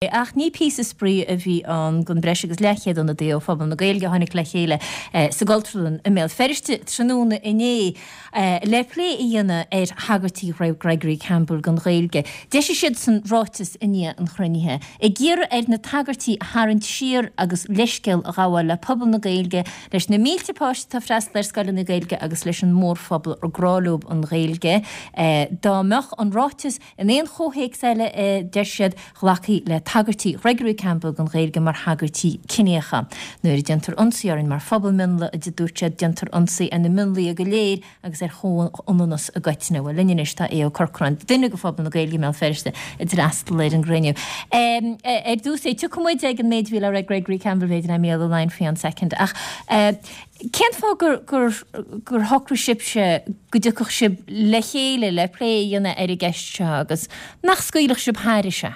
Ach ní píosa spraoi a bhí ann don breis agus leathchéad ionadaí ó phobal na Gaeilge a tháinig le chéile sa gCultúrlann i mBéal Feirste tráthnóna inné le plé a dhéanamh ar thagairtí Gregory Campbell don Ghaeilge. D'eisigh siadsan ráiteas i ndiaidh an chruinnithe, ag iarraidh air na tagairtí a tharraingt siar agus leithscéal a ghabháil le pobal na Gaeilge, leis na mílte páiste atá ag freastal ar scoileanna Gaeilge agus leis an mórphobal ar grá leo an Ghaeilge. Dá mbeadh an ráiteas In aon chomhthéacs eile, a deir siad, ghlacfaí le tagairtí Ghregory Campbell don Ghaeilge mar thagairtí ciníocha. Nuair a déantar ionsaí orainn mar phobal mionlaigh, a dúirt siad, déantar ionsaí ar na mionlaigh go léir agus ar chomhionannas i gcoitinne. Bhuel, linn anois tá Aodh Ó Corcráin, duine de phobal na Gaeilge i mBéal Feirste a d'fhreastail ar an gcruinniú. Ar dtús, tiocfaidh muid ag an méid a bhí le rá ag Gregory Campbell, b'fhéidir, le Mícheál Ó Laighin faoi one second, ach Cén fáth gur gur gur shocraigh sibhse go dtiocfadh sibh le chéile le plé a dhéanamh ar an gceist seo agus nach scaoilfeadh sibh thairis é?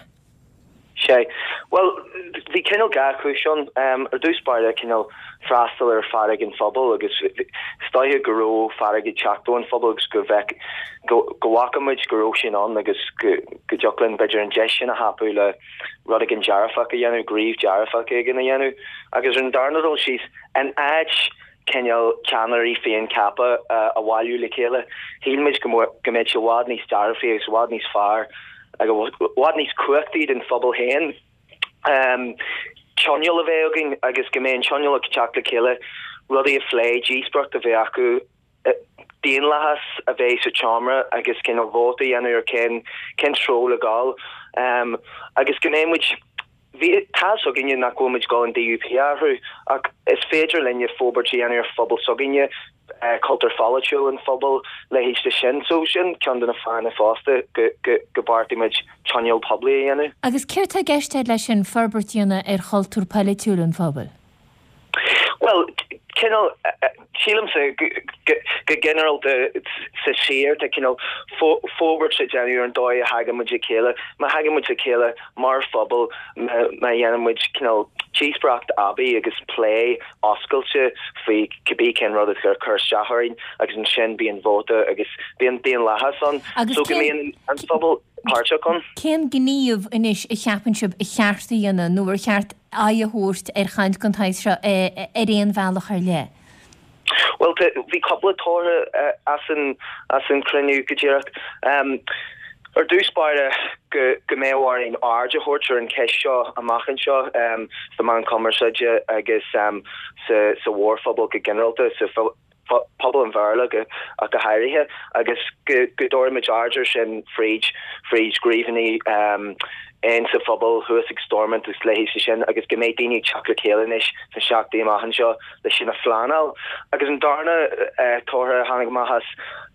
Sea. Bhuel, bhí cineál dhá chúis ann. Ar dtús báire, cineál freastal ar fearg an phobail agus is dóiche go raibh fearg ag teacht ón phobal agus go bhfeic, go go bhfaca muid go raibh sin ann agus go go dtiocfadh linn b'fhéidir an deis sin a thapú le rud éigin dearfach a dhéanamh, gníomh dearfach éigin a dhéanamh. Agus ar an darna dul síos, In áit cineál ceannairí féincheaptha a bhailiú le chéile, shíl muid go mbeadh sé i bhfad níos dearfaí agus i bhfad níos fearr agus i bhfad níos cumhachtaí don phobal féin tionól a bheith againn agus go mbeadh an tionól ag teacht le chéile, rudaí a phlé, díospóireacht a bheith acu. daonlathas a bheith sa tseomra agus cineál vóta a dhéanamh ar cén cén treo le dhul agus go mbeidh muid bhí tá a fhios againne nach bhfuil muid ag dul an DUP a athrú ach is féidir linne forbairt a dhéanamh ar phobal s'againne, cultúr pholaitiúil an phobail, leithéid de sin. So sin ceann de na fáthanna fosta go go go beartaigh muid tionól poiblí a dhéanamh. Agus céard tá i gceist agat leis sin, forbairt a dhéanamh ar chultúr polaitiúil an phobail? Bhuel, cineál, sílimse go ginearálta sa tír tá cineál forbairt le déanamh ar an dóigh a thagann muid le chéile. Má thagann muid le chéile mar phobal, má dhéanann muid cineál díospóireacht aibí agus plé oscailte faoi cibé cén rud atá ag cur isteach orainn agus ansin bíonn vóta agus bíonn daonlathas ann so go mbíonn an phobal páirteach ann. Cén gníomh anois a cheapann sibh a cheart a dhéanamh nó ar cheart aghaidh a thabhairt ar chaint den tsaghas seo ar aon bhealach ar leith? Bhuel, bhí cúpla toradh as an as an chruinniú go díreach. Ar dtús báire, go go mbeadh orainn aird a thabhairt ar an cheist seo amach anseo sna meáin chumarsáide agus sa sa mhórphobal go ginearálta, sa pobal an Bhéarla ach go háirithe, agus go dtabharfaimid aird air sin fríd fríd ghníomhanna insa phobal thuas ag Stormont agus leithéidí sin agus go mbeidh daoine ag teacht le chéile anois sna seachtainí amach anseo le sin a phleanáil. Agus an darna toradh a tháinig amach as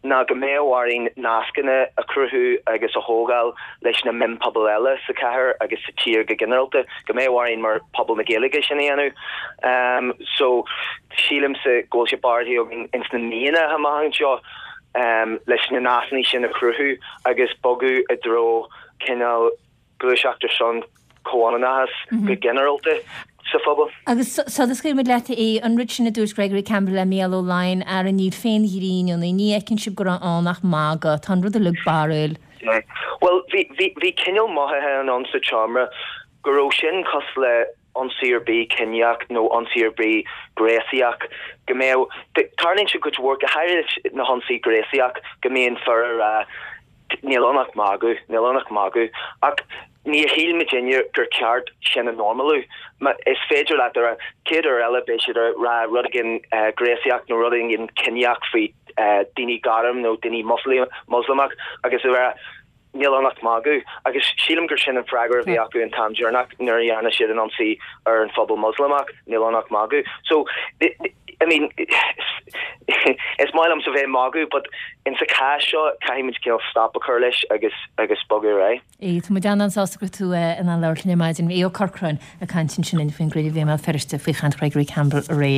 ná go mbeadh orainn nascanna a chruthú agus a thógáil leis na mionphobail eile sa chathair agus sa tír go ginearálta, go mbeadh orainn mar phobal na Gaeilge sin a dhéanamh. So. Sílimse go bhfuil sé beartaithe againn ins na míonna amach anseo leis na nascanna sin a chruthú agus bogadh i dtreo cineál gluaiseacht ar son comhionannachas go ginearálta sa phobal. Agus sula scaoilfidh muid leat, a Aodh, an rud sin a dúirt Gregory Campbell le Mícheál Ó Laighin, ara níl féin ghreann ionaibh, ní fheiceann sibh go raibh ann ach magadh, tá an rud uilig barrúil. Bhuel, bhí, bhí, bhí cineál mothaithe ann sa tseomra go raibh sin cosúil le ionsaí ar bith ciníoch nó ionsaí ar bith gréasaíoch, go mbeadh, tarlaíonn sé cuid mhór, go háirithe na hionsaí gréasaíoch, go mbíonn fir ag rá níl ann ach magadh, níl ann ach magadh. Ach níor shíl muidinne gur ceart sin a normalú. Is féidir leat a rá, chéad uair eile beidh siad ag rá rud éigin gréasaíoch nó rud éigin ciníoch faoi daoine gorm nó daoine Moslamach agus a rá, Níl ann ach magadh. Agus sílim gur sin an freagra a bhí acu an t-am deireanach nuair a dhearna siad an ionsaí ar an phobal Moslamach, níl ann ach magadh. So, I mean, is maith liomsa bheith ag magadh but in sa chás seo caithfidh muid cineál stop a chur leis agus agus bogadh ar aghaidh. Aodh, tá muid an-an-sásta go raibh tú in ann labhairt linn ar maidin. Aodh Ó Corcráin ag caint ansin linn faoin gcruinniú a bhí i mBéal Feirste faoi chaint Ghregory Campbell aréir.